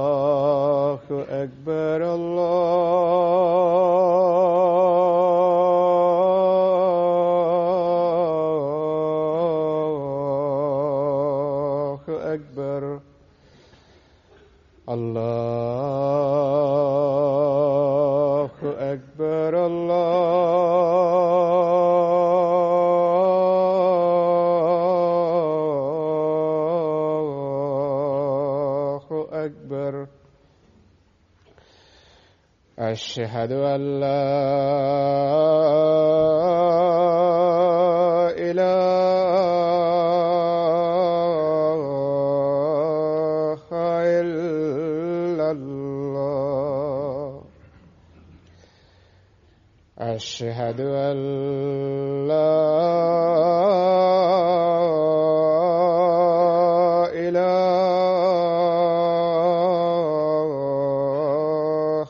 الله أكبر الله أكبر الله أكبر الله أكبر أشهد أن لا إله إلا الله أشهد أن لا إله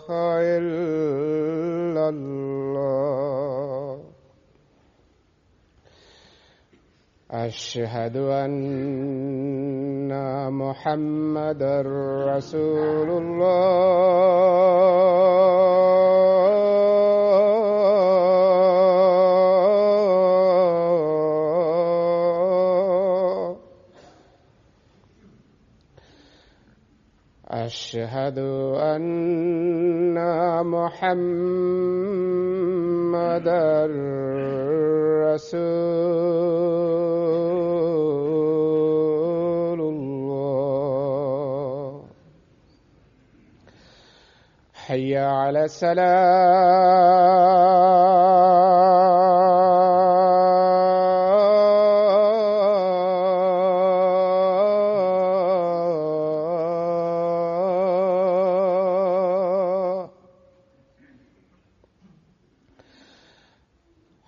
إلا الله أشهد أن محمدا رسول الله أشهد أن محمدا رسول الله حي على الصلاة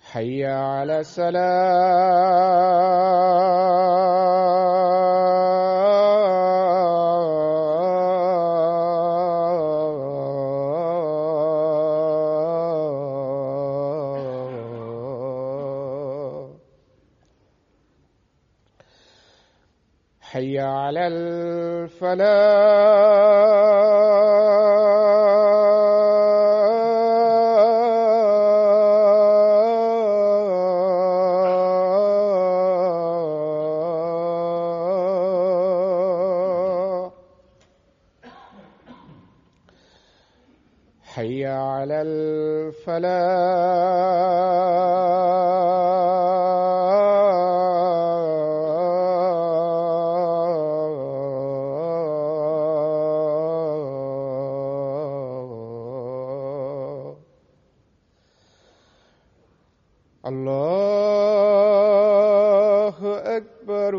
حي على الصلاة حي على الفلاح حي على الفلاح الله أكبر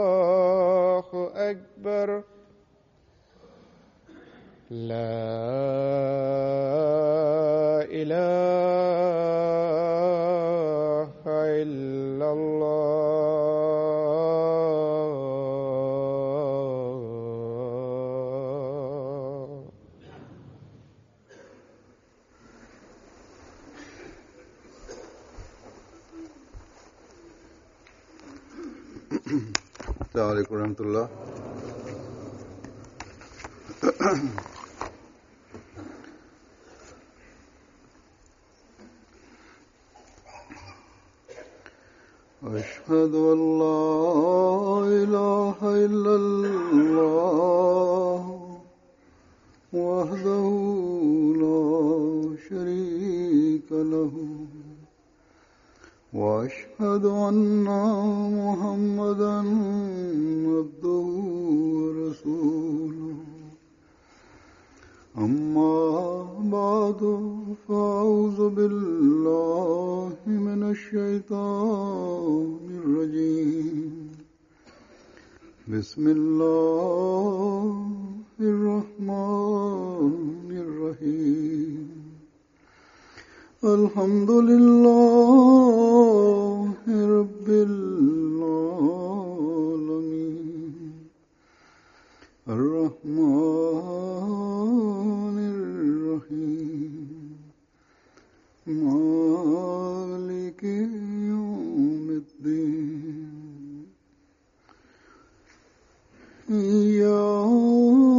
الله أكبر لا إله إلا الله السلام عليكم ورحمة الله. أشهد أن لا إله إلا الله وحده لا شريك له وأشهد أن محمدا عبده ورسوله أما بعد فأعوذ بالله من الشيطان الرجيم بسم الله الرحمن الرحيم الحمد لله رب العالمين الرحمن الرحيم إياك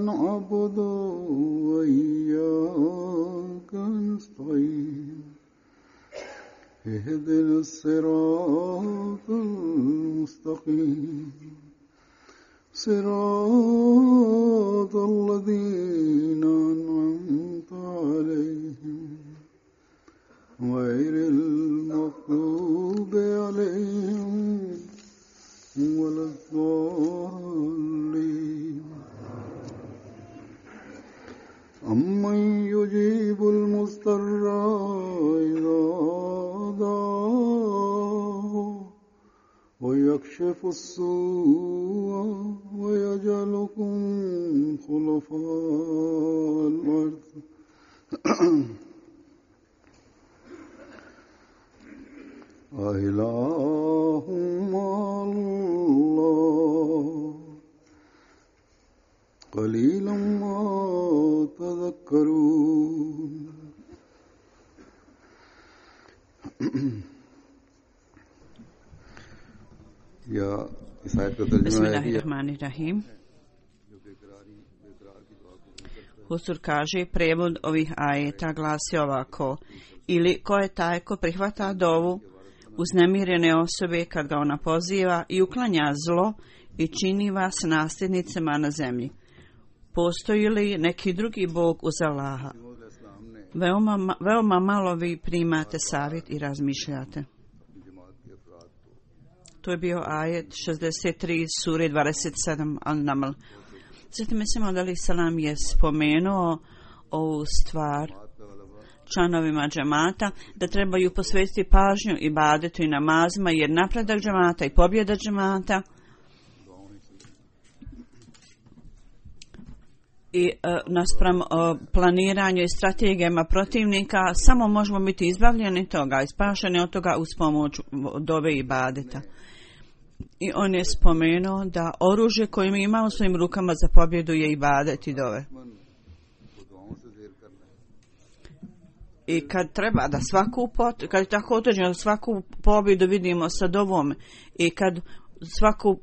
نعبد وإياك نستعين اهدنا الصراط المستقيم صراط الذين أنعمت عليهم غير المغضوب عليهم ولا الضالين أمن يجيب المضطر إذا دعاه ويكشف السوء ويجعلكم خلفاء الأرض أإله مع الله قليلا ما تذكرون Bismillahirrahmanirrahim. Huzur kaže, prijevod ovih ajeta glasi ovako: ili ko je taj ko prihvata dovu uznemirene osobe kad ga ona poziva i uklanja zlo i čini vas nasljednicima na zemlji. Postoji li neki drugi Bog uz Allaha? Veoma malo vi primate savjet i razmišljate. To je bio ajet 63 sure 27 Al-Naml. Zatim mislimo da li Salam je spomenuo ovu stvar članovima džemata, da trebaju posvetiti pažnju ibadetu i namazima, jer napredak džemata i pobjeda džemata i naspram planiranju i strategijama protivnika samo možemo biti izbavljeni toga, ispašeni od toga uz pomoć dove i ibadeta. I on je spomenuo da oružje koje mi imamo u svojim rukama za pobjedu je ibadet i dove. I kad treba da kad je tako određeno da svaku pobjedu vidimo sa dovom i kad svaku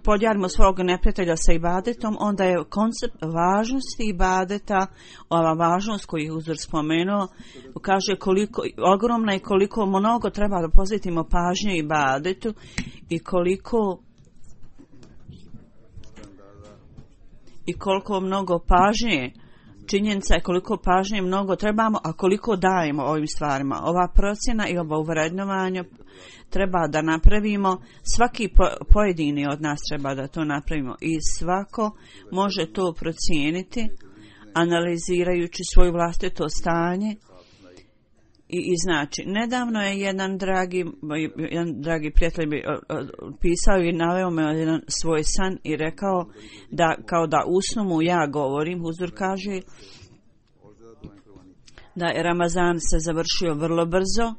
podjarimo svog neprijatelja sa ibadetom, onda je koncept važnosti ibadeta, ova važnost koju je Huzur spomenuo, kaže koliko ogromna i koliko mnogo treba da posvetimo pažnje ibadetu i koliko mnogo pažnje, činjenica je koliko pažnje mnogo trebamo, a koliko dajemo ovim stvarima. Ova procjena i ovo uvrednovanje treba da napravimo, svaki pojedini od nas treba da to napravimo i svako može to procijeniti analizirajući svoje vlastito stanje i znači. Nedavno je jedan dragi prijatelj pisao i naveo me jedan svoj san i rekao da kao da usnu mu ja govorim. Huzur kaže da je Ramazan se završio vrlo brzo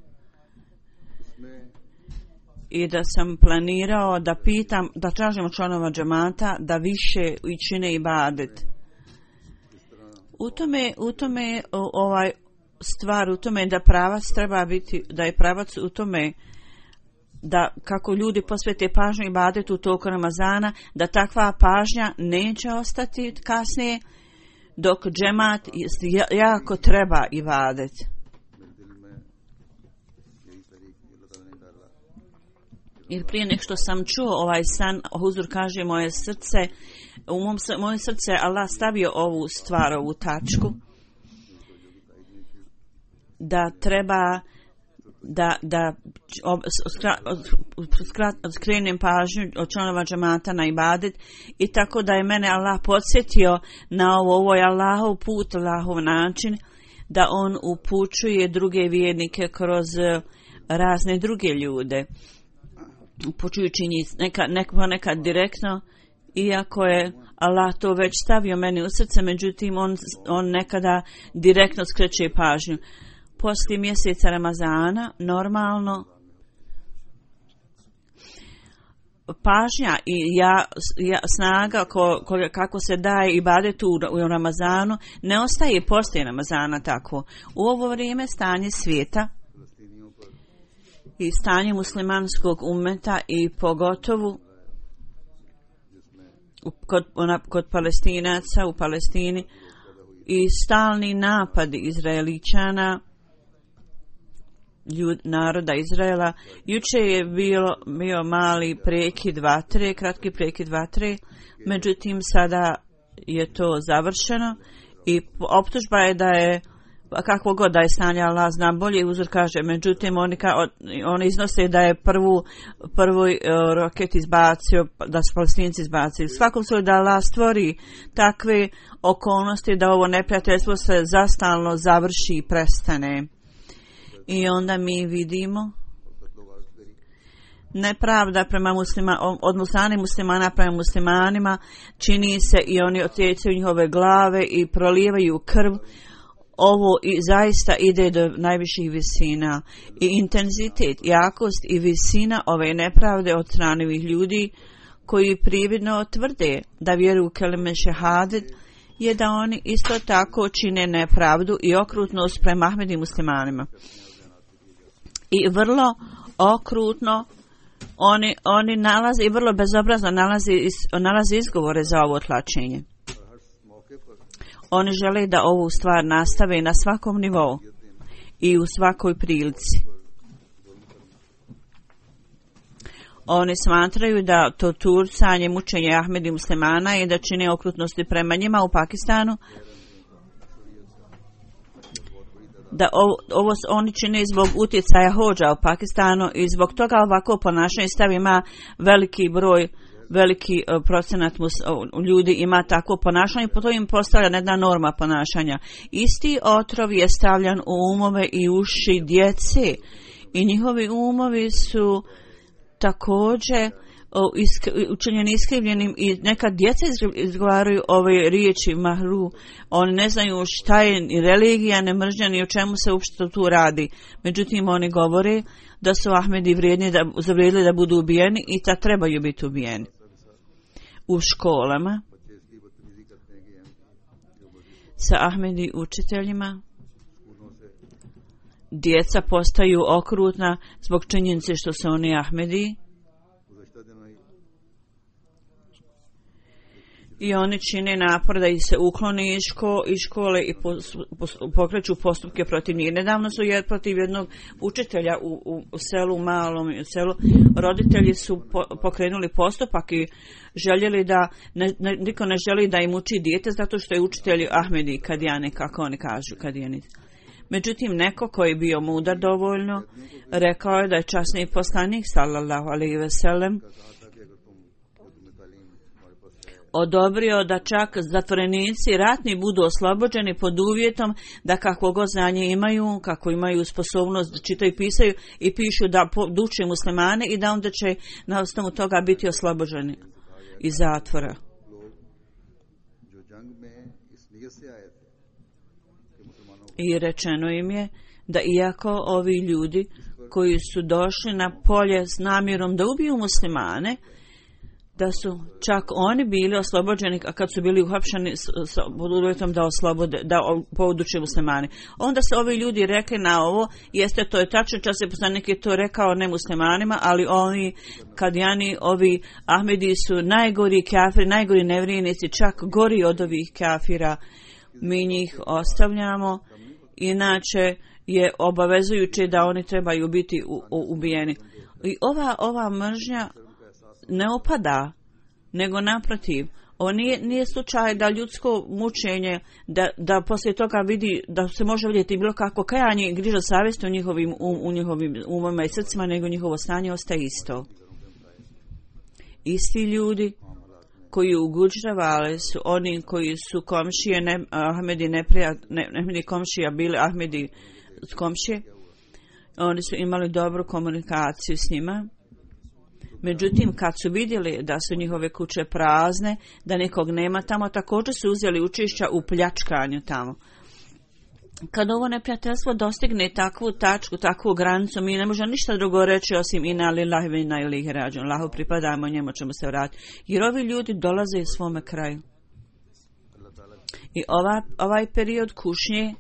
i da sam planirao da pitam, da tražimo članova džemata da više čine ibadet. U tome ovaj stvar u tome da pravac treba biti, da je pravac u tome da kako ljudi posvete pažnju ibadetu u toku Ramazana, da takva pažnja neće ostati kasnije dok džemat jako treba ibadet. Jer prije nek što sam čuo ovaj san, Huzur kaže moje srce Allah stavio ovu stvar, ovu tačku, da treba da skrenem pažnju od članova džemata na ibadet i tako da je mene Allah podsjetio na ovo je Allahov put, Allahov način da on upućuje druge vjernike kroz razne druge ljude, upućujući njih nekad direktno, iako je Allah to već stavio meni u srce, međutim on nekada direktno skreće pažnju. Poslije mjeseca Ramazana normalno pažnja i snaga kako se daje ibadetu u Ramazanu ne ostaje poslije Ramazana tako. U ovo vrijeme stanje svijeta i stanje muslimanskog ummeta i pogotovo kod Palestinaca u Palestini i stalni napadi Izraeličana, naroda Izraela. Juče je bio mali prekid vatre, kratki prekid vatre, međutim sada je to završeno i optužba je da je kakvo god da je stanje, Allah zna bolje, uzor kaže, međutim oni iznose da je prvi roket izbacio, da su Palestinci izbacili. Svakom slučaju da Allah stvori takve okolnosti da ovo neprijateljstvo se zastalno završi i prestane. I onda mi vidimo nepravda prema od muslimana prema muslimanima čini se i oni otjecaju njihove glave i prolijevaju krv. Ovo i zaista ide do najviših visina i intenzitet, jakost i visina ove nepravde od strane ovih ljudi koji prividno tvrde da vjeruju u kelime šehadet je da oni isto tako čine nepravdu i okrutnost prema Ahmedi muslimanima. I vrlo okrutno oni nalaze i vrlo bezobrazno nalaze izgovore za ovo tlačenje. Oni žele da ovu stvar nastave na svakom nivou i u svakoj prilici. Oni smatraju da to turcanje, mučenje Ahmedi muslimana i da čine okrutnosti prema njima u Pakistanu, da ovo oni čine zbog utjecaja hodža u Pakistanu i zbog toga ovako ponašanje stav ima veliki procenat ljudi ima takvo ponašanje, po to im postavlja jedna norma ponašanja. Isti otrov je stavljan u umove i uši djece i njihovi umovi su također učinjeni iskrivljenim i neka djeca izgovaraju ove riječi mahru. Oni ne znaju šta je religija, ne mržnja ni o čemu se uopšte tu radi. Međutim, oni govore da su Ahmedi zavrijedili da budu ubijeni i da trebaju biti ubijeni. U školama sa Ahmedi učiteljima djeca postaju okrutna zbog činjenice što su oni Ahmedi i oni čine napor da ih se ukloni iz škole i pokreću postupke protiv njih. Nedavno su protiv jednog učitelja u selu, malom selu, roditelji su pokrenuli postupak i željeli da, niko ne želi da im uči dijete zato što je učitelj Ahmedi Kadijani, kako oni kažu, Kadijani. Međutim, neko koji je bio mudar dovoljno, rekao je da je časni poslanik, sallallahu alejhi ve sellem, odobrio da čak zatvorenici ratni budu oslobođeni pod uvjetom da kakvo god znanje imaju, kako imaju sposobnost da čitaju i pisaju i pišu da uče muslimane i da onda će na osnovu toga biti oslobođeni iz zatvora. I rečeno im je da iako ovi ljudi koji su došli na polje s namjerom da ubiju muslimane, da su čak oni bili oslobođeni, a kad su bili uhapšeni pod uvjetom da oslobode, da poduče muslimani. Onda se ovi ljudi rekli na ovo, jeste to je tačno, čas je poslanik je to rekao ne muslimanima, ali oni Kadijani, ovi Ahmedi su najgori kafiri, najgori nevrijenici, čak gori od ovih kafira. Mi njih ostavljamo, inače je obavezujuće da oni trebaju biti ubijeni. I ova mržnja ne opada, nego naprotiv. Ovo nije slučaj da ljudsko mučenje, da poslije toga vidi, da se može vidjeti bilo kako kajanje i griža savjesti u njihovim umama i srcima, nego njihovo stanje ostaje isto. Isti ljudi koji u Guđravale su oni koji su komšije, Ahmedi komšija bili Ahmedi komšije, oni su imali dobru komunikaciju s njima. Međutim, kad su vidjeli da su njihove kuće prazne, da nikog nema tamo, također su uzeli učešća u pljačkanju tamo. Kad ovo neprijateljstvo dostigne takvu tačku, takvu granicu, mi ne možemo ništa drugo reći osim inna lillahi wa inna ilaihi rađiun. Allahu pripadamo, njemu ćemo se vratiti. Jer ovi ljudi dolaze svome kraju. I ovaj period kušnje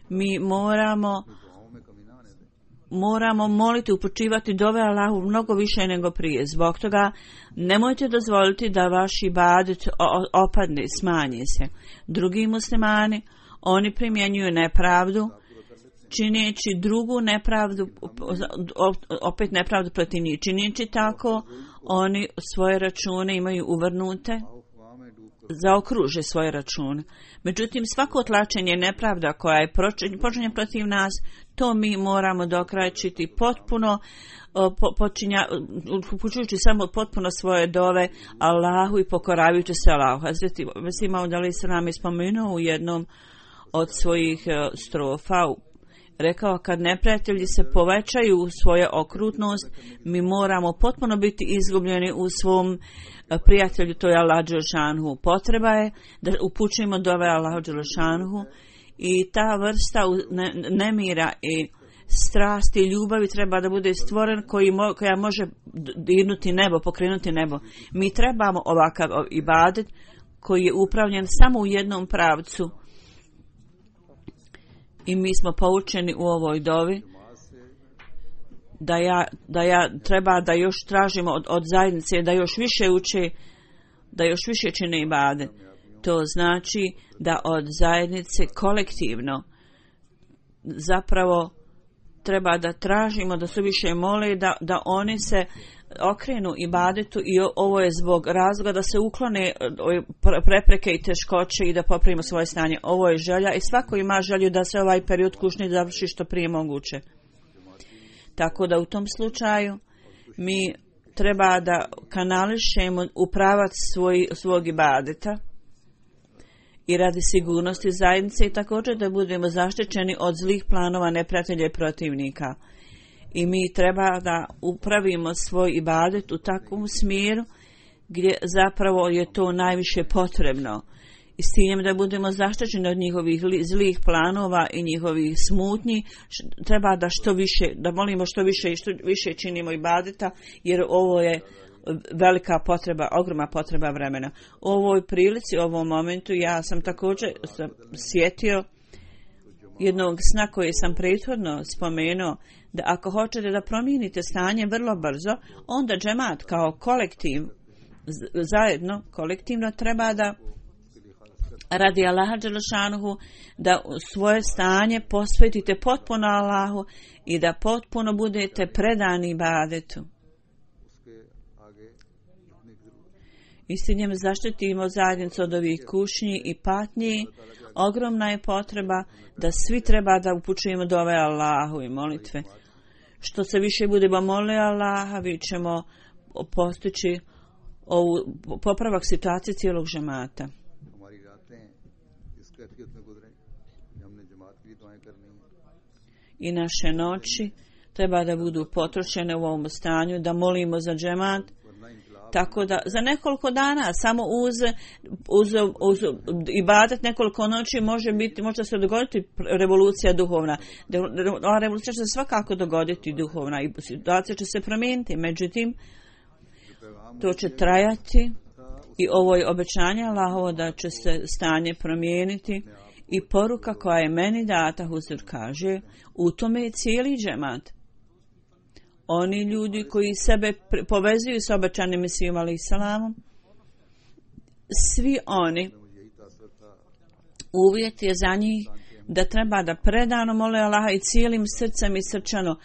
mi moramo moramo moliti, upućivati dove Allahu mnogo više nego prije. Zbog toga nemojte dozvoliti da vaš ibadet opadne, smanji se. Drugi muslimani, oni primjenjuju nepravdu, čineći drugu nepravdu, opet nepravdu protiv njih. Čineći tako, oni svoje račune imaju uvrnute, zaokruže svoje račune. Međutim, svako otlačenje nepravda koja je počinja protiv nas, to mi moramo dokrajčiti potpuno, upućujući samo potpuno svoje dove Allahu i pokoravajući se Allahu. Hazreti Mesih Maud alejhi selam je spomenuo u jednom od svojih strofa, rekao, kad neprijatelji se povećaju u svoje okrutnost, mi moramo potpuno biti izgubljeni u svom prijatelju, to je Allah dželešanu. Potreba je da upućujemo dove Allah dželešanu i ta vrsta nemira i strasti i ljubavi treba da bude stvoren koja može dirnuti nebo, pokrenuti nebo. Mi trebamo ovakav ibadet koji je upravljen samo u jednom pravcu. I mi smo poučeni u ovoj dovi da treba da još tražimo od zajednice da još više uče, da još više čine ibadet. To znači da od zajednice kolektivno zapravo treba da tražimo da se više mole, da oni se okrenu ibadetu i ovo je zbog razloga da se uklone prepreke i teškoće i da popravimo svoje stanje. Ovo je želja i svako ima želju da se ovaj period kušnje završi što prije moguće. Tako da u tom slučaju mi treba da kanališemo u pravac svog ibadeta i radi sigurnosti zajednice i također da budemo zaštićeni od zlih planova neprijatelja i protivnika. I mi treba da upravimo svoj ibadet u takvom smjeru gdje zapravo je to najviše potrebno. I s tim da budemo zaštićeni od njihovih zlih planova i njihovih smutnji, treba da što više, da molimo što više i što više činimo ibadeta, jer ovo je velika potreba, ogromna potreba vremena. U ovoj prilici, u ovom momentu, ja sam također sjetio jednog sna koji sam prethodno spomenuo, da ako hoćete da promijenite stanje vrlo brzo, onda džemat kao kolektiv, zajedno, kolektivno treba da radi Allaha dželešanuhu, da svoje stanje posvetite potpuno Allahu i da potpuno budete predani ibadetu. Istinjem zaštitimo zajednicu od ovih kušnji i patnji. Ogromna je potreba da svi treba da upućujemo dove Allahu i molitve. Što se više budemo molili Allaha, vi ćemo postići ovu popravak situacije cijelog džemata. I naše noći treba da budu potrošene u ovom stanju, da molimo za džemat, tako da za nekoliko dana samo uz ibadet nekoliko noći može se dogoditi revolucija duhovna. Ova revolucija će se svakako dogoditi duhovna i situacija će se promijeniti. Međutim, to će trajati i ovo je obećanje Allahovo da će se stanje promijeniti i poruka koja je meni data, Huzur kaže, u tome je cijeli džemat. Oni ljudi koji sebe povezuju s obećanim Mesijom alejhi selamom, svi oni, uvjet je za njih da treba da predano mole Allaha i cijelim srcem i srčano.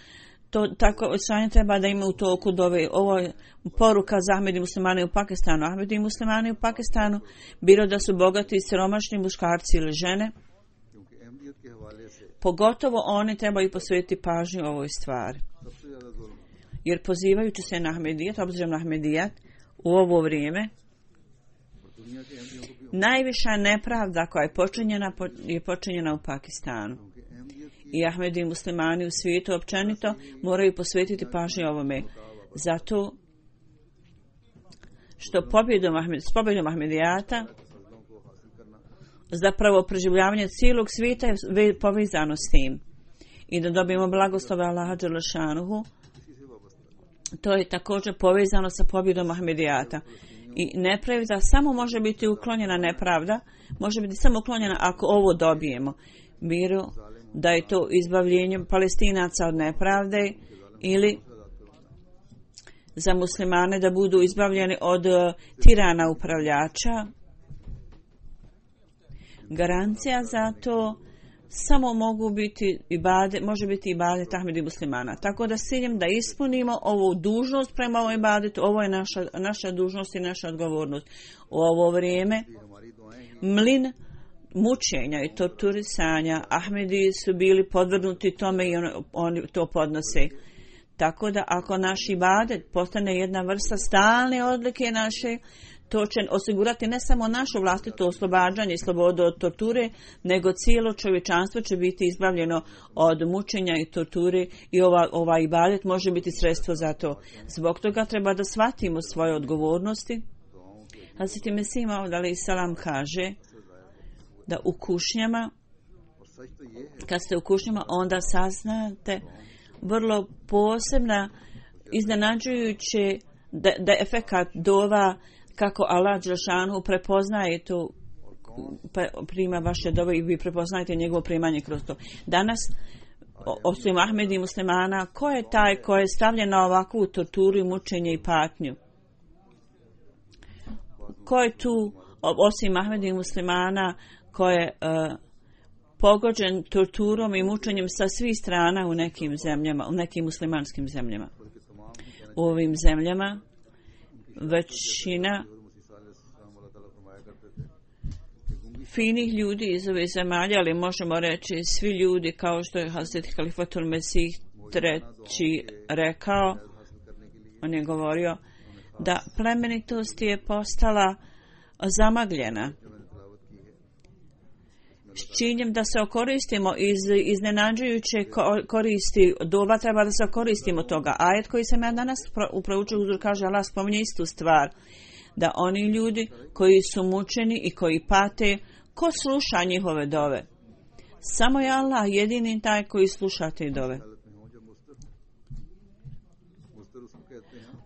To tako stanje treba da ima u toku dove. Ovo je poruka za Ahmedi muslimane u Pakistanu. Ahmedi muslimani u Pakistanu, bilo da su bogati i siromašni muškarci ili žene, pogotovo oni trebaju posvetiti pažnju ovoj stvari. Jer pozivajući se na Ahmedijat, obzirom na Ahmedijat, u ovo vrijeme, najviša nepravda koja je počinjena u Pakistanu. I Ahmedi muslimani u svijetu općenito moraju posvetiti pažnju ovome. Zato što s pobjedom Ahmedijata zapravo preživljavanje cijelog svijeta je povezano s tim. I da dobijemo blagoslove Allaha dželešanuhu, to je također povezano sa pobjedom Ahmedijata. I nepravda samo može biti uklonjena, nepravda može biti samo uklonjena ako ovo dobijemo. Miru da je to izbavljenje Palestinaca od nepravde ili za muslimane da budu izbavljeni od tirana upravljača. Garancija za to samo može biti ibadet Ahmedi muslimana. Tako da s ciljem da ispunimo ovu dužnost prema ovom ibadetu, ovo je naša dužnost i naša odgovornost. U ovo vrijeme mlin mučenja i torturisanja Ahmedi su bili podvrgnuti tome i oni to podnose. Tako da ako naš ibadet postane jedna vrsta stalne odlike naše, to će osigurati ne samo našu vlastito oslobađanje i slobodu od torture, nego cijelo čovječanstvo će biti izbavljeno od mučenja i torture i ova ibadet može biti sredstvo za to. Zbog toga treba da shvatimo svoje odgovornosti. Hazreti Mesih Maud alejhi selam kaže da u kušnjama, kad ste u kušnjama, onda saznate vrlo posebna, iznenađujuće da efekat dova kako Allah dželešanu prepoznaje to, prima vaše dove i vi prepoznajete njegovo primanje kroz to. Danas, osim Ahmedi i muslimana, ko je taj ko je stavljen na ovakvu torturu i mučenje i patnju? Ko je tu, osim Ahmedi i muslimana, ko je pogođen torturom i mučenjem sa svih strana u nekim zemljama, u nekim muslimanskim zemljama? U ovim zemljama većina finih ljudi iz ove zemalja, ali možemo reći svi ljudi, kao što je Hazreti Halifatul Mesih III rekao, on je govorio da plemenitost je postala zamagljena. S činjem da se okoristimo iz iznenađujuće koristi dova, treba da se okoristimo toga. Ajet koji sam ja danas proučio uzor kaže, Allah spominje istu stvar, da oni ljudi koji su mučeni i koji pate, ko sluša njihove dove? Samo je Allah jedini taj koji sluša te dove.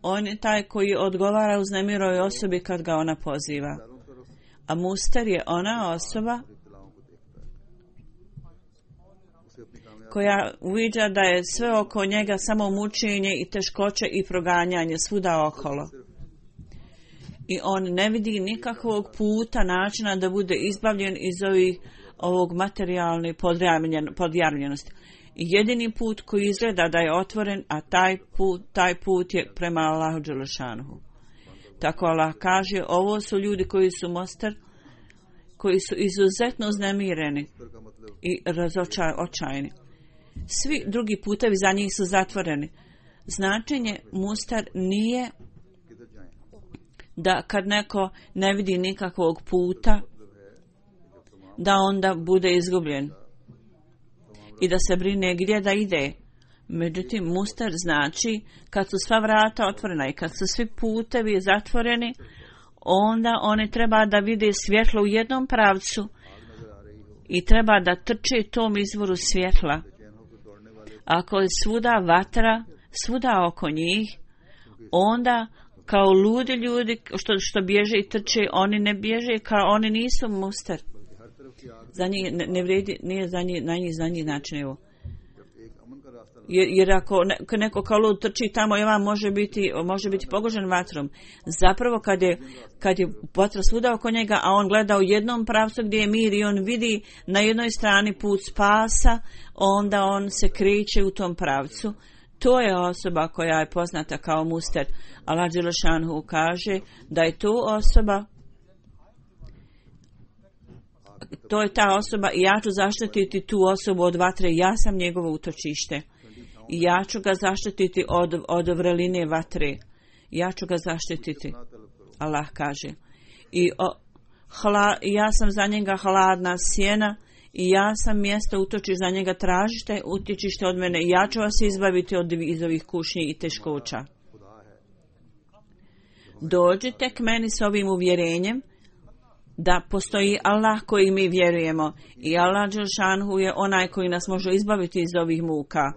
On je taj koji odgovara uznemiroj osobi kad ga ona poziva. A muster je ona osoba koja uviđa da je sve oko njega samo mučenje i teškoće i proganjanje svuda okolo. I on ne vidi nikakvog puta, načina da bude izbavljen iz ovog materijalne podjarmljenosti. Jedini put koji izgleda da je otvoren, a taj put je prema Allahu dželešanuhu. Tako Allah kaže, ovo su ljudi koji su mostar, koji su izuzetno uznemireni i razočajni. Svi drugi putevi za njih su zatvoreni. Značenje mustar nije da kad neko ne vidi nikakvog puta, da onda bude izgubljen i da se brine gdje da ide. Međutim, mustar znači kad su sva vrata otvorena i kad su svi putevi zatvoreni, onda oni treba da vide svjetlo u jednom pravcu i treba da trče tom izvoru svjetla. Ako je svuda vatra, svuda oko njih, onda kao ludi ljudi što bježe i trče, oni ne bježe, kao oni nisu mustar. Za njih ne vredi, nije za njih znači evo. Jer ako neko kao lud trči tamo i on može biti pogođen vatrom. Zapravo kad je vatra svuda oko njega, a on gleda u jednom pravcu gdje je mir i on vidi na jednoj strani put spasa, onda on se kreće u tom pravcu. To je osoba koja je poznata kao muster. Allah dželešanhu kaže da je to osoba, to je ta osoba i ja ću zaštititi tu osobu od vatre, ja sam njegovo utočište. I ja ću ga zaštititi od vreline vatre. Ja ću ga zaštititi. Allah kaže. I ja sam za njega hladna sjena i ja sam mjesto utočiš za njega, tražite utječište od mene i ja ću vas izbaviti iz ovih kušnji i teškoća. Dođite k meni s ovim uvjerenjem da postoji Allah koji mi vjerujemo i Allah dželšanhu je onaj koji nas može izbaviti iz ovih muka.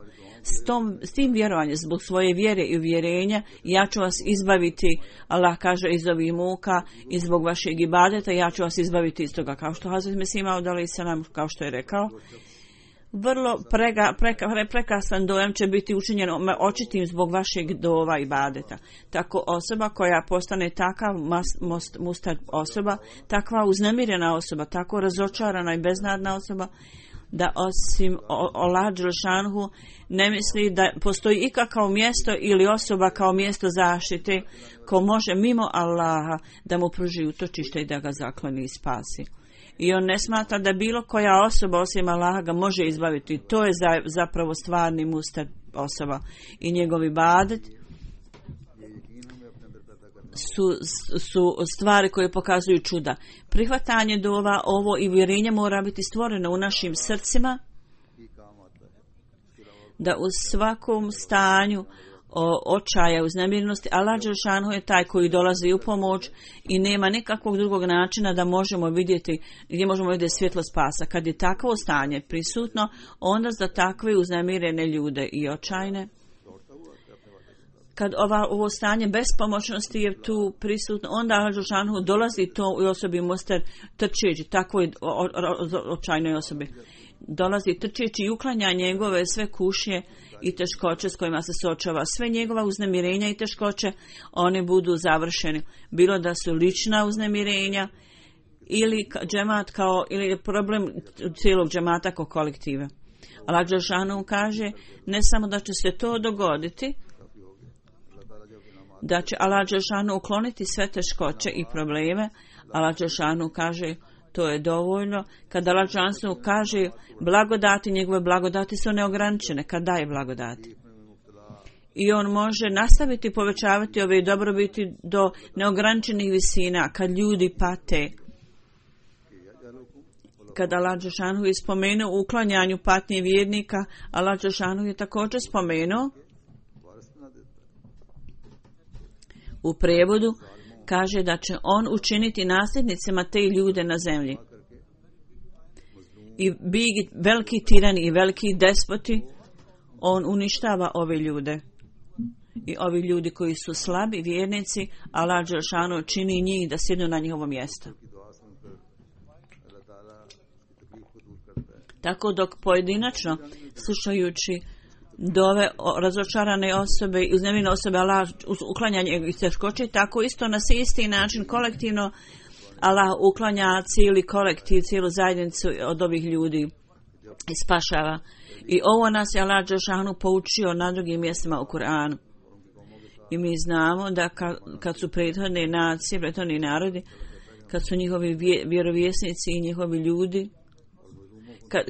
S tim vjerovanjem, zbog svoje vjere i uvjerenja, ja ću vas izbaviti, Allah kaže, iz ovih muka i zbog vašeg ibadeta ja ću vas izbaviti iz toga. Kao što Hazret Mesih Maud alejhi selam, kao što je rekao, vrlo prekrasan dojam će biti učinjen očitim zbog vašeg dova i badeta. Tako osoba koja postane takav mustad osoba, takva uznemirena osoba, tako razočarana i beznadna osoba, da osim Allah dželešanhu ne misli da postoji ikakvo mjesto ili osoba kao mjesto zaštite ko može mimo Allaha da mu pruži utočište i da ga zakloni i spasi. I on ne smatra da bilo koja osoba osim Allaha ga može izbaviti. To je zapravo stvarni mustad osoba. I njegovi badet su stvari koje pokazuju čuda. Prihvatanje dova, ovo i vjerenje mora biti stvoreno u našim srcima, da u svakom stanju očaja, uznemirnosti, Allah dželešanu je taj koji dolazi u pomoć i nema nikakvog drugog načina da možemo vidjeti gdje možemo vidjeti svjetlo spasa. Kad je takvo stanje prisutno, onda za takve uznemirene ljude i očajne, kad ovo stanje bespomoćnosti je tu prisutno, onda Allah dželešanu dolazi to u osobi Muster trčeći, takvoj očajnoj osobi. Dolazi trčeći i uklanja njegove sve kušnje i teškoće s kojima se suočava. Sve njegova uznemirenja i teškoće, one budu završene. Bilo da su lična uznemirenja ili džemat ili problem cijelog džemata kao kolektive. Allah dželešanu kaže ne samo da će se to dogoditi, da će Allah dželešanu ukloniti sve teškoće i probleme. Allah dželešanu kaže to je dovoljno. Kada Allah dželešanu kaže blagodati, njegove blagodati su neograničene kad daje blagodati. I on može nastaviti povećavati ove dobrobiti do neograničenih visina kad ljudi pate. Kada Allah dželešanu je spomenuo u uklanjanju patnje vjernika, Allah dželešanu je također spomenuo u prevodu, kaže da će on učiniti nasljednicima te ljude na zemlji. I veliki tirani i veliki despoti, on uništava ove ljude. I ovi ljudi koji su slabi, vjernici, Allah dželešanu čini njih da sjednu na njihovo mjesto. Tako dok pojedinačno, slušajući dove razočarane osobe i uznemirene osobe, Allah uklanjanje i teškoće, tako isto na isti način kolektivno Allah uklanja cijeli kolektiv, cijelu zajednicu od ovih ljudi i spašava. I ovo nas je Allah dželešanu poučio na drugim mjestima u Kur'anu. I mi znamo da kad su prethodne nacije, prethodni narodi, kad su njihovi vjerovjesnici i njihovi ljudi,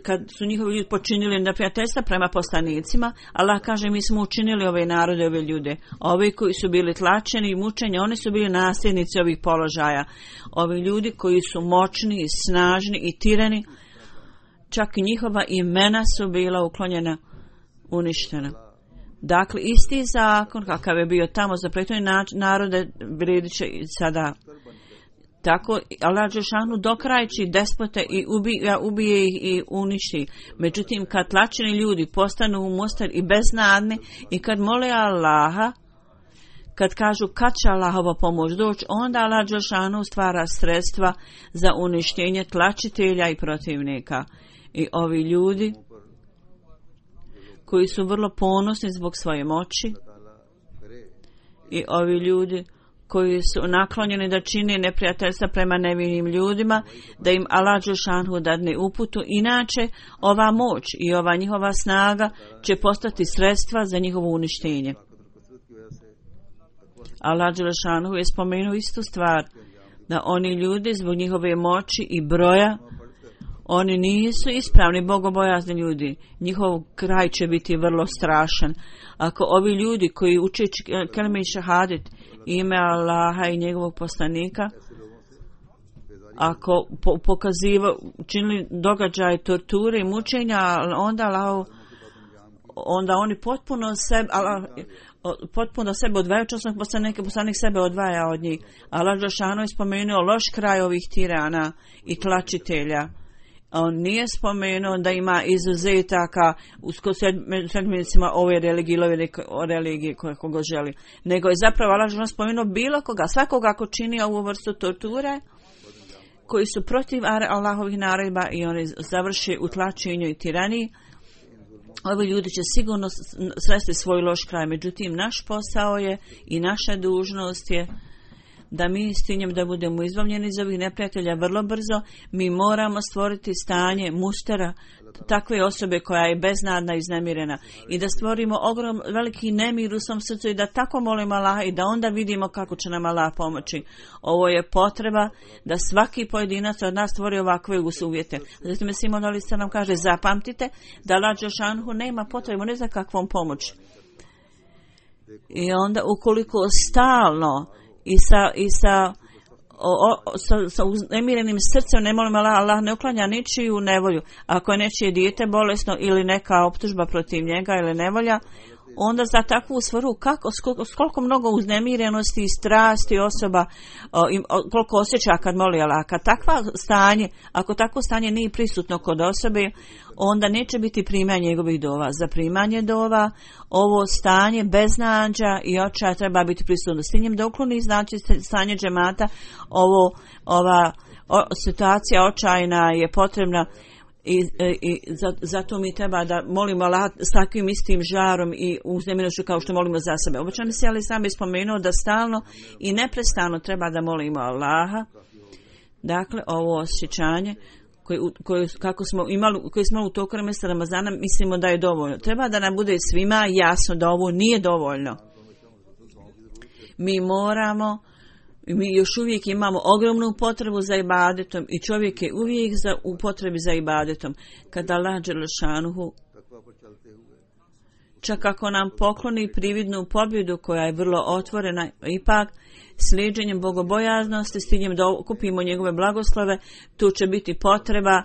kad su njihovi ljudi počinili neprijateljstva prema poslanicima, Allah kaže mi smo učinili ove narode, ove ljude. Ovi koji su bili tlačeni i mučeni, oni su bili nasljednici ovih položaja. Ovi ljudi koji su moćni i snažni i tirani, čak i njihova imena su bila uklonjena, uništena. Dakle, isti zakon kakav je bio tamo za prethodne narode vrijedit će i sada. Tako Allah dželešanu dokrajči despote i ubije ih i uništi. Međutim, kad tlačeni ljudi postanu u mustar i beznadni i kad mole Allaha, kad kažu kad će Allahova pomoć doći, onda Allah dželešanu stvara sredstva za uništenje tlačitelja i protivnika. I ovi ljudi koji su vrlo ponosni zbog svoje moći i ovi ljudi koji su naklonjeni da čine neprijateljstva prema nevinim ljudima, da im Allah dželešanu dadne uputu. Inače, ova moć i ova njihova snaga će postati sredstva za njihovo uništenje. Allah dželešanu je spomenuo istu stvar, da oni ljudi zbog njihove moći i broja, oni nisu ispravni bogobojazni ljudi. Njihov kraj će biti vrlo strašan. Ako ovi ljudi koji uče kelime i šahadet, ime Allaha i njegovog poslanika, ako činili događaje torture i mučenja, onda oni potpuno sebe odvajaju, časnog poslanik sebe odvaja od njih. Allah dželešanu je spomenuo loš kraj ovih tirana i tlačitelja. On nije spomenuo da ima izuzetaka u sedminicima ove religije koje koga želi. Nego je zapravo Allah spomenuo bilo koga, svakoga ko čini ovu vrstu torture, koji su protiv Allahovih naredba i oni završe u tlačenju i tiraniji, ovi ljudi će sigurno sresti svoj loš kraj. Međutim, naš posao je i naša dužnost je da mi s tim da budemo izbavljeni iz ovih neprijatelja vrlo brzo. Mi moramo stvoriti stanje mustera, takve osobe koja je beznadna i iznemirena, i da stvorimo veliki nemir u svom srcu i da tako molimo Allaha i da onda vidimo kako će nam Allah pomoći. Ovo je potreba da svaki pojedinac od nas stvori ovakve uvjete. Zatim Simon Alisa nam kaže, zapamtite da Allah dželešanu nema potrebu ne za kakvom pomoći. I onda ukoliko stalno sa uznemirenim srcem ne molimo Allah ne uklanja ničiju nevolju. Ako je nečije dijete bolesno ili neka optužba protiv njega ili nevolja, onda za takvu svrhu koliko mnogo uznemirenosti i strasti osoba koliko osjeća kad moli Allah. Ako takvo stanje nije prisutno kod osobe, onda neće biti primanje njegovih dova. Za primanje dova ovo stanje beznađa i očaja treba biti prisutno. S njim da ukloni znači stanje džemata, ova situacija očajna je potrebna. I zato mi treba da molimo Allah s takvim istim žarom i uzneminošću kao što molimo za sebe. Obično mi se ali sam ispomenuo da stalno i neprestano treba da molimo Allaha. Dakle, ovo osjećanje koje smo imali u toku mjeseca Ramazana, mislimo da je dovoljno. Treba da nam bude svima jasno da ovo nije dovoljno. Mi još uvijek imamo ogromnu potrebu za ibadetom i čovjek je uvijek u potrebi za ibadetom. Kada Allah dželešanu čak ako nam pokloni prividnu pobjedu koja je vrlo otvorena, ipak slijedženjem bogobojaznosti s ciljem da okupimo njegove blagoslove, tu će biti potreba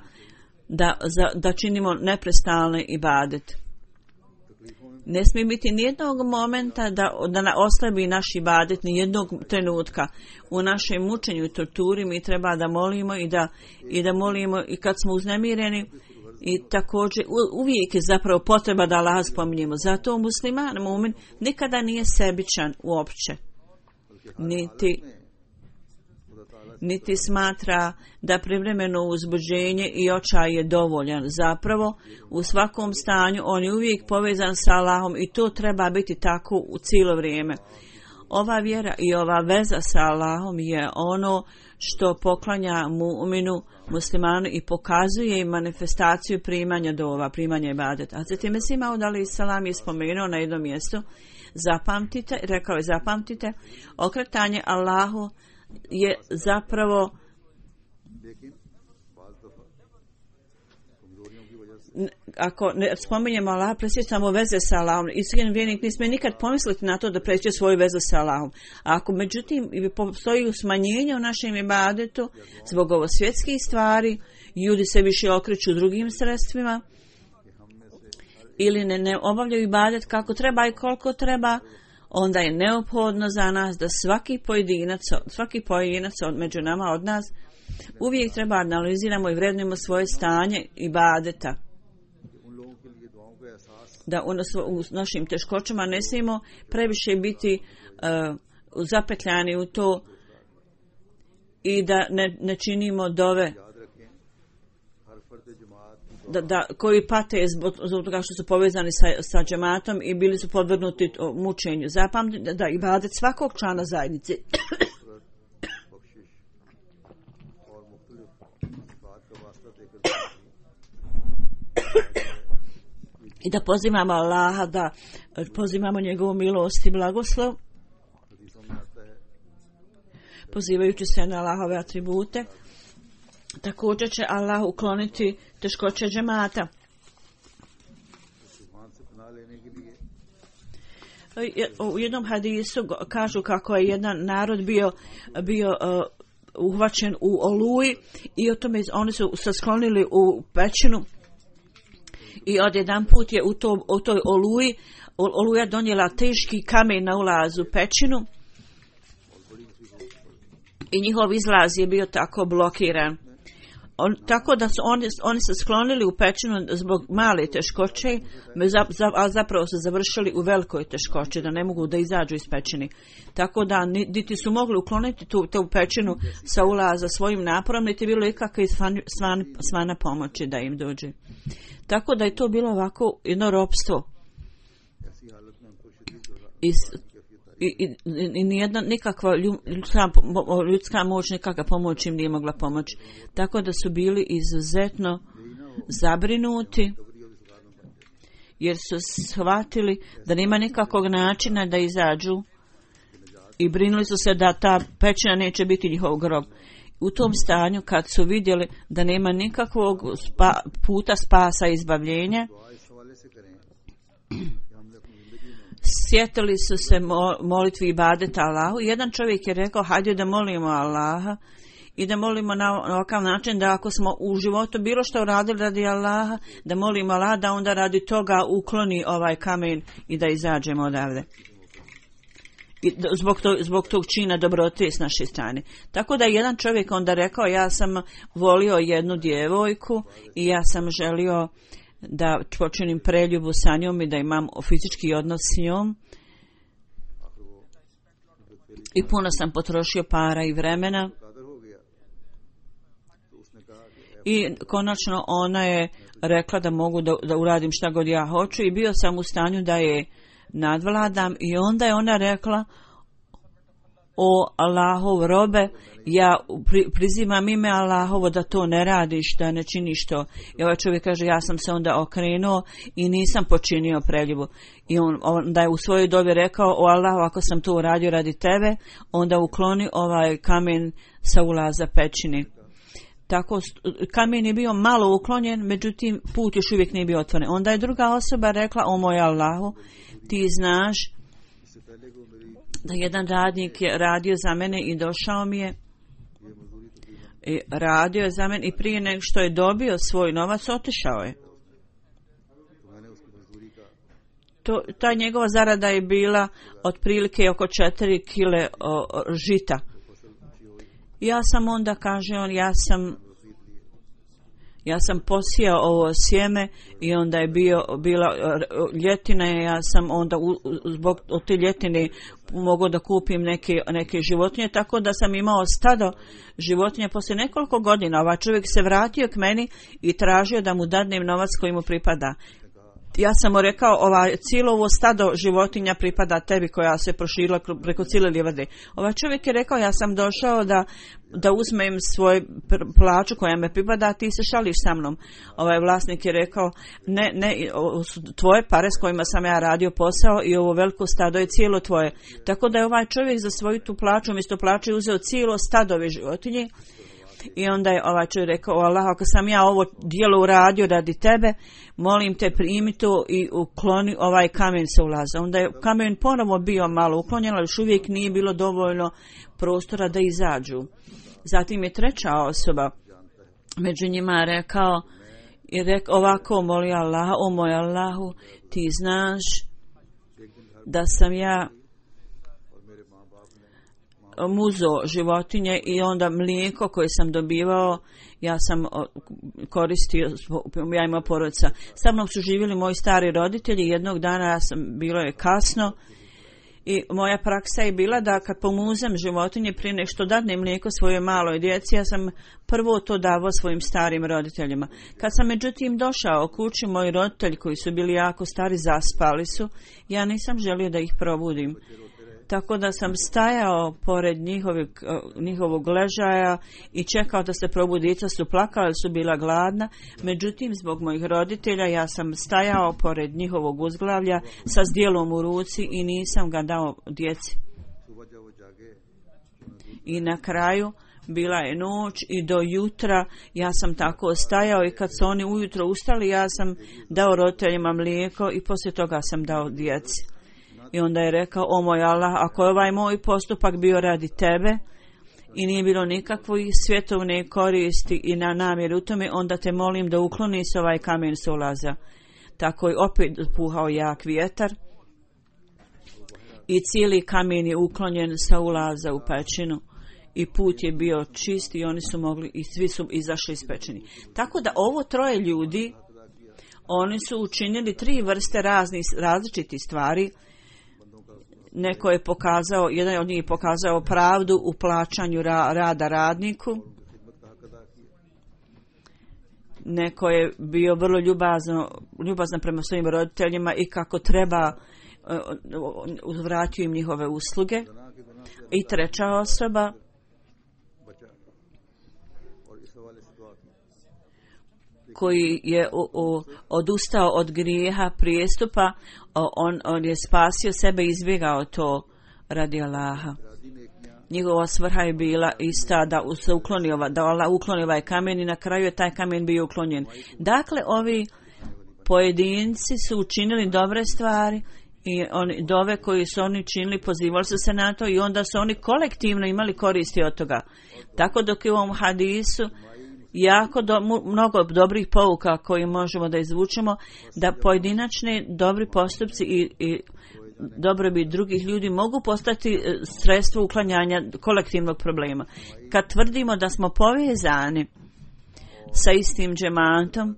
da činimo neprestalne ibadet. Ne smije biti nijednog momenta da oslabi naš ibadet, nijednog trenutka. U našem mučenju i torturi mi treba da molimo i da molimo i kad smo uznemireni, i također uvijek je zapravo potreba da Allah spominjemo. Zato musliman, mu'min, nikada nije sebičan uopće. Niti smatra da privremeno uzbuđenje i očaj je dovoljan. Zapravo, u svakom stanju on je uvijek povezan sa Allahom i to treba biti tako u cijelo vrijeme. Ova vjera i ova veza sa Allahom je ono što poklanja mu'minu, muslimanu i pokazuje im manifestaciju primanja dova, primanja ibadeta. A zatim Mesih Maud alejhi selam je spomenuo na jednom mjestu, zapamtite, okretanje Allahu je zapravo ako ne spominjemo Allah, presjećamo veze sa Allahom. Iskren vjernik ne smije nikad pomisliti na to da presjeće svoju vezu sa Allahom. A ako međutim postoji smanjenje u našem ibadetu zbog ovo svjetskih stvari, ljudi se više okreću drugim sredstvima ili ne obavljaju ibadet kako treba i koliko treba, onda je neophodno za nas da svaki pojedinac među nama od nas uvijek treba analiziramo i vrednujemo svoje stanje ibadeta. Da u našim teškoćama ne smijemo previše biti zapetljani u to i da ne činimo dove koji pate zbog toga što su povezani sa džematom i bili su podvrgnuti mučenju. Zapamtite da ibadet svakog člana zajednice i da pozivamo Allaha, da pozivamo njegovu milost i blagoslov, pozivajući se na Allahove atribute. Također će Allah ukloniti teškoće džemata. U jednom hadisu kažu kako je jedan narod bio uhvaćen u oluji i oni su se sklonili u pećinu i odjedan put je u toj oluja donijela teški kamen na ulazu u pećinu i njihov izlaz je bio tako blokiran. tako da su oni se sklonili u pećinu zbog male teškoće, a zapravo su završili u velikoj teškoći, da ne mogu da izađu iz pećine. Tako da niti su mogli ukloniti tu pećinu sa ulaza svojim naporom, niti bilo ikakve svana pomoći da im dođe. Tako da je to bilo ovako jedno ropstvo. I nijedna nikakva ljudska moć, nikakva pomoć im nije mogla pomoći. Tako da su bili izuzetno zabrinuti, jer su shvatili da nema nikakvog načina da izađu i brinuli su se da ta pećina neće biti njihov grob. U tom stanju, kad su vidjeli da nema nikakvog puta spasa i izbavljenja, sjetili su se molitvi i ibadeta Allahu. Jedan čovjek je rekao, hajde da molimo Allaha i da molimo na ovakav način da ako smo u životu bilo što uradili radi Allaha, da molimo Allaha da onda radi toga ukloni ovaj kamen i da izađemo odavde. I zbog tog čina dobrote s naše strane. Tako da jedan čovjek onda rekao, ja sam volio jednu djevojku i ja sam želio da počinim preljubu sa njom i da imam fizički odnos s njom. I puno sam potrošio para i vremena. I konačno ona je rekla da mogu da uradim šta god ja hoću i bio sam u stanju da je nadvladam i onda je ona rekla, o Allahov robe, ja prizimam ime Allahovo da to ne radiš, da ne činiš to. I ovaj čovjek kaže, ja sam se onda okrenuo i nisam počinio preljubu. I onda je u svojoj dobi rekao, o Allahu, ako sam to uradio radi tebe, onda ukloni ovaj kamen sa ulaza pećine. Tako, kamen je bio malo uklonjen, međutim put još uvijek nije bio otvoren. Onda je druga osoba rekla, o moj Allahu, ti znaš da jedan radnik je radio za mene i došao mi je i radio je za mene i prije nego što je dobio svoj novac otišao je. Ta njegova zarada je bila otprilike oko 4 kile žita. Ja sam onda, kaže on, ja sam posijao ovo sjeme i onda je bila ljetina i ja sam onda zbog od te ljetine mogao da kupim neke životinje, tako da sam imao stado životinja. Poslije nekoliko godina ovaj čovjek se vratio k meni i tražio da mu dadnem novac koji mu pripada. Ja sam mu rekao, cijelo ovo stado životinja pripada tebi koja se proširila preko cijele livade. Ovaj čovjek je rekao, ja sam došao da uzmem svoj plaću koja me pripada, a ti se šališ sa mnom. Ovaj vlasnik je rekao, ne, ovo su tvoje pare s kojima sam ja radio posao i ovo veliko stado je cijelo tvoje. Tako da je ovaj čovjek za svoju tu plaću, umjesto plaće uzeo cijelo stadove životinje. I onda je ovaj čovjek rekao, o Allah, ako sam ja ovo djelo uradio radi tebe, molim te primi to i ukloni ovaj kamen sa ulaza. Onda je kamen ponovo bio malo uklonjen, ali još uvijek nije bilo dovoljno prostora da izađu. Zatim je treća osoba među njima rekao ovako, moli Allah, o moj Allahu, ti znaš da sam ja muzo životinje i onda mlijeko koje sam dobivao ja sam koristio, ja imao porodica. Sa mnom su živjeli moji stari roditelji. Jednog dana bilo je kasno i moja praksa je bila da kad pomuzem životinje prije nego što dadnem mlijeko svojoj maloj djeci, ja sam prvo to davao svojim starim roditeljima. Kad sam međutim došao kući, moji roditelji koji su bili jako stari zaspali su, ja nisam želio da ih probudim. Tako da sam stajao pored njihovog ležaja i čekao da se probude. Djeca su plakala, su bila gladna. Međutim, zbog mojih roditelja ja sam stajao pored njihovog uzglavlja sa zdjelom u ruci i nisam ga dao djeci. I na kraju bila je noć i do jutra ja sam tako stajao i kad su oni ujutro ustali ja sam dao roditeljima mlijeko i poslije toga sam dao djeci. I onda je rekao, o moj Allah, ako je ovaj moj postupak bio radi tebe i nije bilo nikakve svjetovne koristi i na namjer u tome, onda te molim da ukloni se ovaj kamen sa ulaza. Tako je opet puhao jak vjetar i cijeli kamen je uklonjen sa ulaza u pećinu i put je bio čist i oni su mogli i svi su izašli ispečeni. Tako da ovo troje ljudi, oni su učinili 3 vrste različitih stvari. Neko je pokazao, jedan od njih je pokazao pravdu u plaćanju rada radniku. Neko je bio vrlo ljubazan prema svojim roditeljima i kako treba uzvratio im njihove usluge. I treća osoba koji je odustao od grijeha, prijestupa, on je spasio sebe i izbjegao to radi Allaha. Njegova svrha je bila ista da se ukloni Allah ukloni ovaj kamen i na kraju je taj kamen bio uklonjen. Dakle, ovi pojedinci su učinili dobre stvari i dove koji su oni činili, pozivali su se na to i onda su oni kolektivno imali koristi od toga. Tako dok je u ovom hadisu jako mnogo dobrih pouka koji možemo da izvučemo, da pojedinačni dobri postupci i dobrobit drugih ljudi mogu postati sredstvo uklanjanja kolektivnog problema. Kad tvrdimo da smo povezani sa istim džematom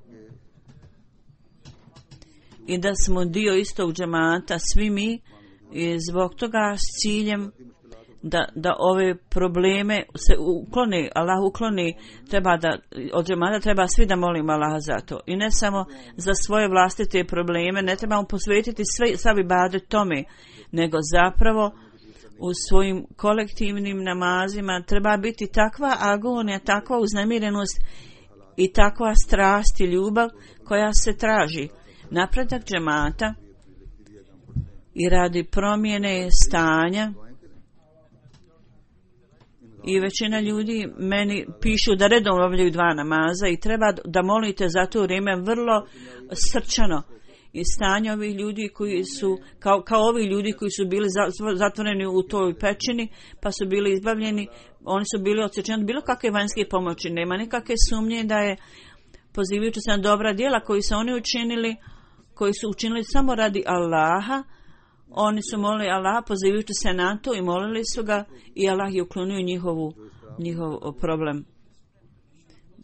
i da smo dio istog džemata, svi mi, i zbog toga s ciljem da ove probleme se ukloni, Allah ukloni, od džemata treba svi da molimo Allaha za to. I ne samo za svoje vlastite probleme, ne trebamo posvetiti sav ibadet tome, nego zapravo u svojim kolektivnim namazima treba biti takva agonija, takva uznemirenost i takva strast i ljubav koja se traži. Napredak džemata i radi promjene stanja. I većina ljudi meni pišu da redovno obavljaju 2 namaza i treba da molite za to vrijeme vrlo srčano. I stanje ovih ljudi koji su, kao ovi ljudi koji su bili zatvoreni u toj pećini, pa su bili izbavljeni, oni su bili odsječeni od bilo kakve vanjske pomoći. Nema nikakve sumnje da je, pozivajući se na dobra djela koji su oni učinili, koji su učinili samo radi Allaha, oni su molili Allaha pozivajući se na to i molili su ga i Allah je uklonio njihov problem.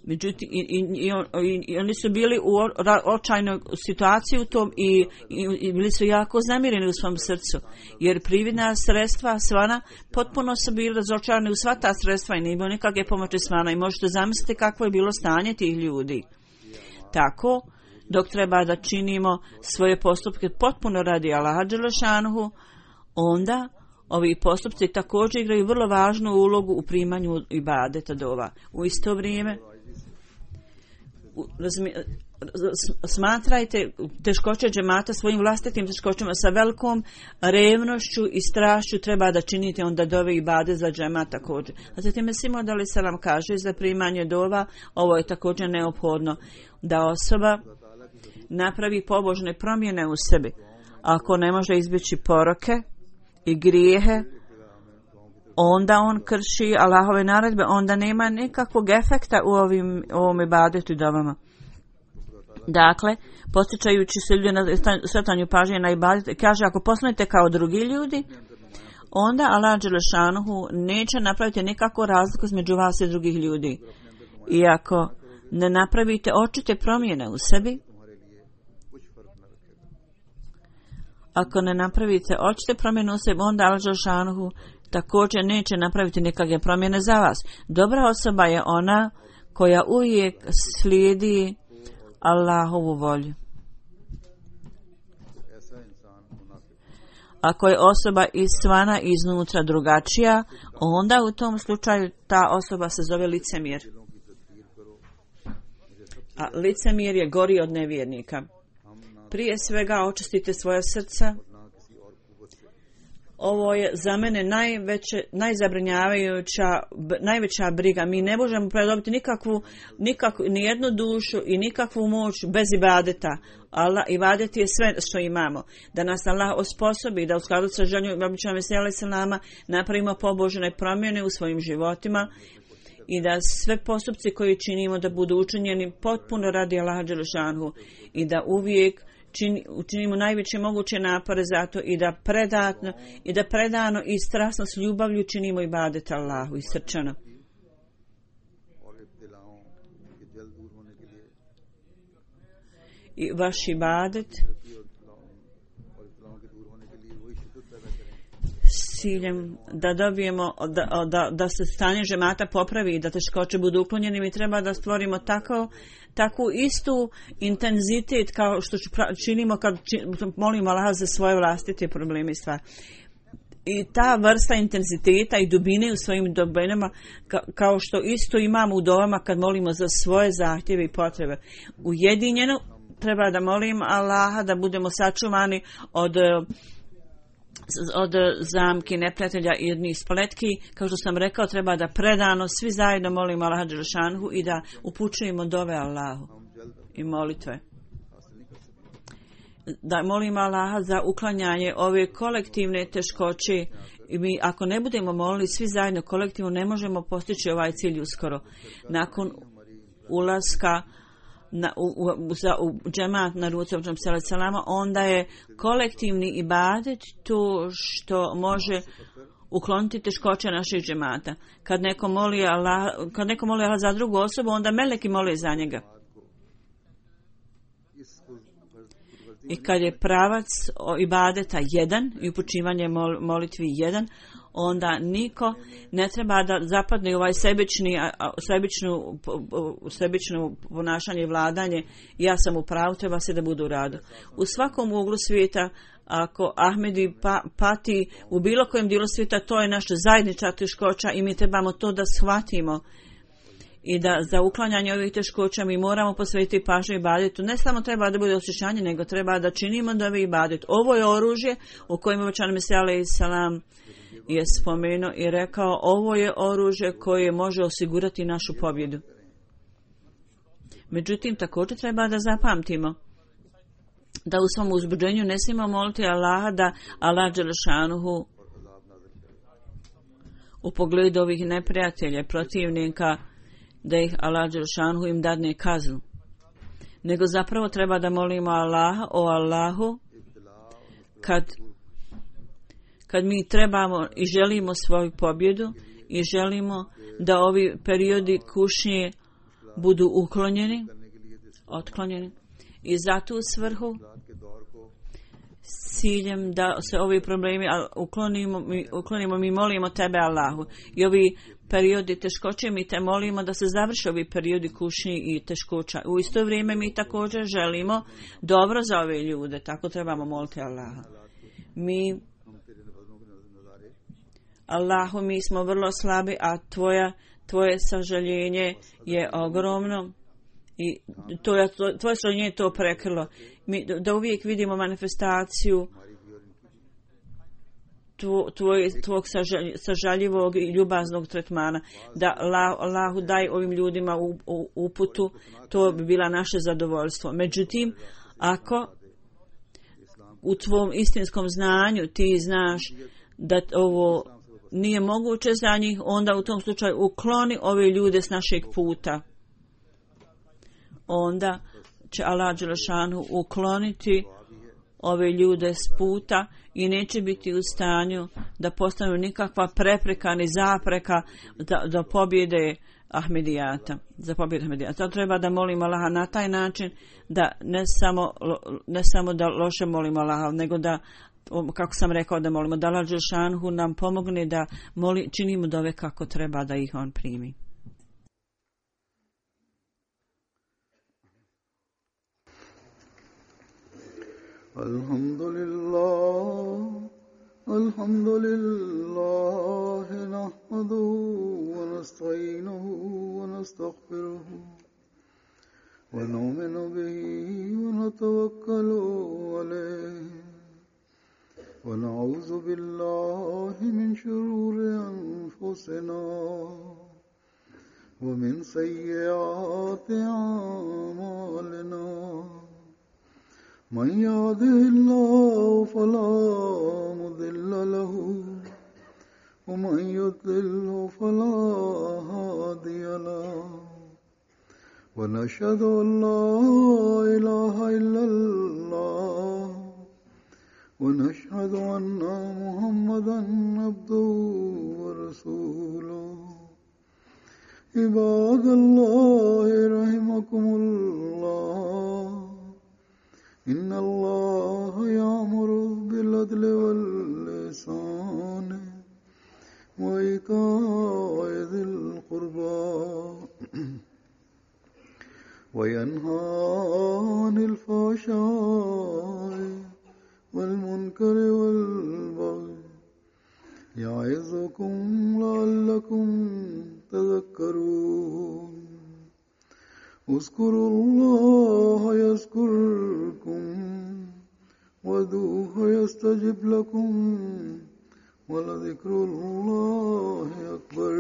Međutim, i oni su bili u očajnoj situaciji u tom i bili su jako znamireni u svom srcu. Jer prividna sredstva svana potpuno su bili razočarani u sva ta sredstva i nije bilo nikakve pomoći svana. I možete zamisliti kakvo je bilo stanje tih ljudi. Tako, dok treba da činimo svoje postupke potpuno radi Allaha dželešanuhu, onda ovi postupci također igraju vrlo važnu ulogu u primanju ibadeta dova. U isto vrijeme smatrajte teškoće džemata svojim vlastitim teškoćama sa velikom revnošću i strašću treba da činite onda dove ibade za džemat također. A zatim Mesih Maud alejhi selam kaže za primanje dova, ovo je također neophodno da osoba napravi pobožne promjene u sebi. Ako ne može izbjeći poroke i grijehe, onda on krši Allahove naredbe, onda nema nikakvog efekta u ovom ibadetu i dovama. Dakle, podsjećajući se ljudi na svrtanju pažnje na ibadet, kaže ako postanete kao drugi ljudi, onda Allah dželešanuhu neće napraviti nikakvu razliku između vas i drugih ljudi. I ako ne napravite očite promjene u sebi, onda Allah dželešanuhu također neće napraviti nikakve promjene za vas. Dobra osoba je ona koja uvijek slijedi Allahovu volju. Ako je osoba izvana i iznutra drugačija, onda u tom slučaju ta osoba se zove licemjer. A licemjer je gori od nevjernika. Prije svega očistite svoje srca. Ovo je za mene najveća briga. Mi ne možemo predobiti ni jednu dušu i nikakvu moć bez ibadeta. Allah, ibadet je sve što imamo. Da nas Allah osposobi da u skladu sa željom običaja Mesija alejhi selama napravimo pobožne promjene u svojim životima i da sve postupci koje činimo da budu učinjeni potpuno radi Allaha dželešanuhu i da uvijek učinimo najveće moguće napore za to i da predano i strasno s ljubavlju činimo ibadet Allahu i srčano. I vaš ibadet s ciljem da dobijemo da se stanje džemata popravi i da teškoće budu uklonjene, mi treba da stvorimo takvu istu intenzitet kao što činimo kad molimo Allaha za svoje vlastite probleme i stvari. I ta vrsta intenziteta i dubine u svojim dubinama kao što isto imamo u dovama kad molimo za svoje zahtjeve i potrebe. Ujedinjeno treba da molim Allaha da budemo sačuvani od zamki neprijatelja i jednih spletki. Kao što sam rekao, treba da predano svi zajedno molimo Allaha dželešanhu i da upućujemo dove Allahu i molitve. Da molimo Allaha za uklanjanje ove kolektivne teškoće. I mi ako ne budemo molili svi zajedno kolektivno, ne možemo postići ovaj cilj uskoro. Nakon ulaska u džemat na ruci salama, onda je kolektivni ibadet to što može ukloniti teškoće naših džemata. Kad neko moli Allah za drugu osobu, onda meleki mole za njega. I kad je pravac ibadeta jedan i upućivanje molitvi jedan, onda niko ne treba da zapadne u ovaj sebično ponašanje i vladanje. Ja sam u pravu, treba se da budu u radu. U svakom uglu svijeta, ako Ahmedi pati u bilo kojem dijelu svijeta, to je naša zajednička teškoća i mi trebamo to da shvatimo. I da za uklanjanje ovih teškoća mi moramo posvetiti pažnju ibadetu. Ne samo treba da bude osjećanje, nego treba da činimo dovi ibadet. Ovo je oružje u kojem obećani Mesija alejhi selam je spomenuo i rekao, ovo je oružje koje može osigurati našu pobjedu. Međutim, također treba da zapamtimo da u svom uzbuđenju ne smijemo moliti Allaha da Allah dželešanuhu u pogledu ovih neprijatelja, protivnika, da ih Allah dželešanuhu im dadne kaznu. Nego zapravo treba da molimo Allaha, o Allahu, kad mi trebamo i želimo svoju pobjedu i želimo da ovi periodi kušnje budu otklonjeni i za tu svrhu s ciljem da se ovi problemi uklonimo, mi molimo tebe Allahu. I ovi periodi teškoće mi te molimo da se završe ovi periodi kušnje i teškoća. U isto vrijeme mi također želimo dobro za ove ljude, tako trebamo moliti Allaha. Allahu, mi smo vrlo slabi, a tvoje sažaljenje je ogromno i tvoje sažaljenje je to prekrilo. Da uvijek vidimo manifestaciju tvog sažaljivog i ljubaznog tretmana. Da Allahu daj ovim ljudima uputu, to bi bila naše zadovoljstvo. Međutim, ako u tvom istinskom znanju ti znaš da ovo nije moguće za njih, onda u tom slučaju ukloni ove ljude s našeg puta. Onda će Allah dželešanu ukloniti ove ljude s puta i neće biti u stanju da postanu nikakva prepreka ni zapreka do pobjede Ahmedijata. Za pobjedu Ahmedijata. To treba da molimo Allaha na taj način da ne samo da loše molimo Allaha, nego da, kako sam rekao, da molimo da Allah dželešanu nam pomogne da činimo dove kako treba da ih on primi. Alhamdulillah nahmaduhu wa nasta'inuhu wa nastaghfiruhu wa nu'minu bihi wa natawakkalu alayhi wa na'udhu billahi min shururi anfusina wa min sayyiati a'malina. من يهده الله فلا مضل له ومن يضلل فلا هادي له ونشهد أن لا إله إلا الله ونشهد أن محمدا عبده ورسوله عباد الله رحمكم الله إن الله يأمر بالعدل والإحسان وإيتاء ذي القربى وينهى عن الفحشاء والمنكر والبغي يعظكم لعلكم تذكرون اذكروا الله يذكركم وادعوه يستجب لكم ولذكر الله أكبر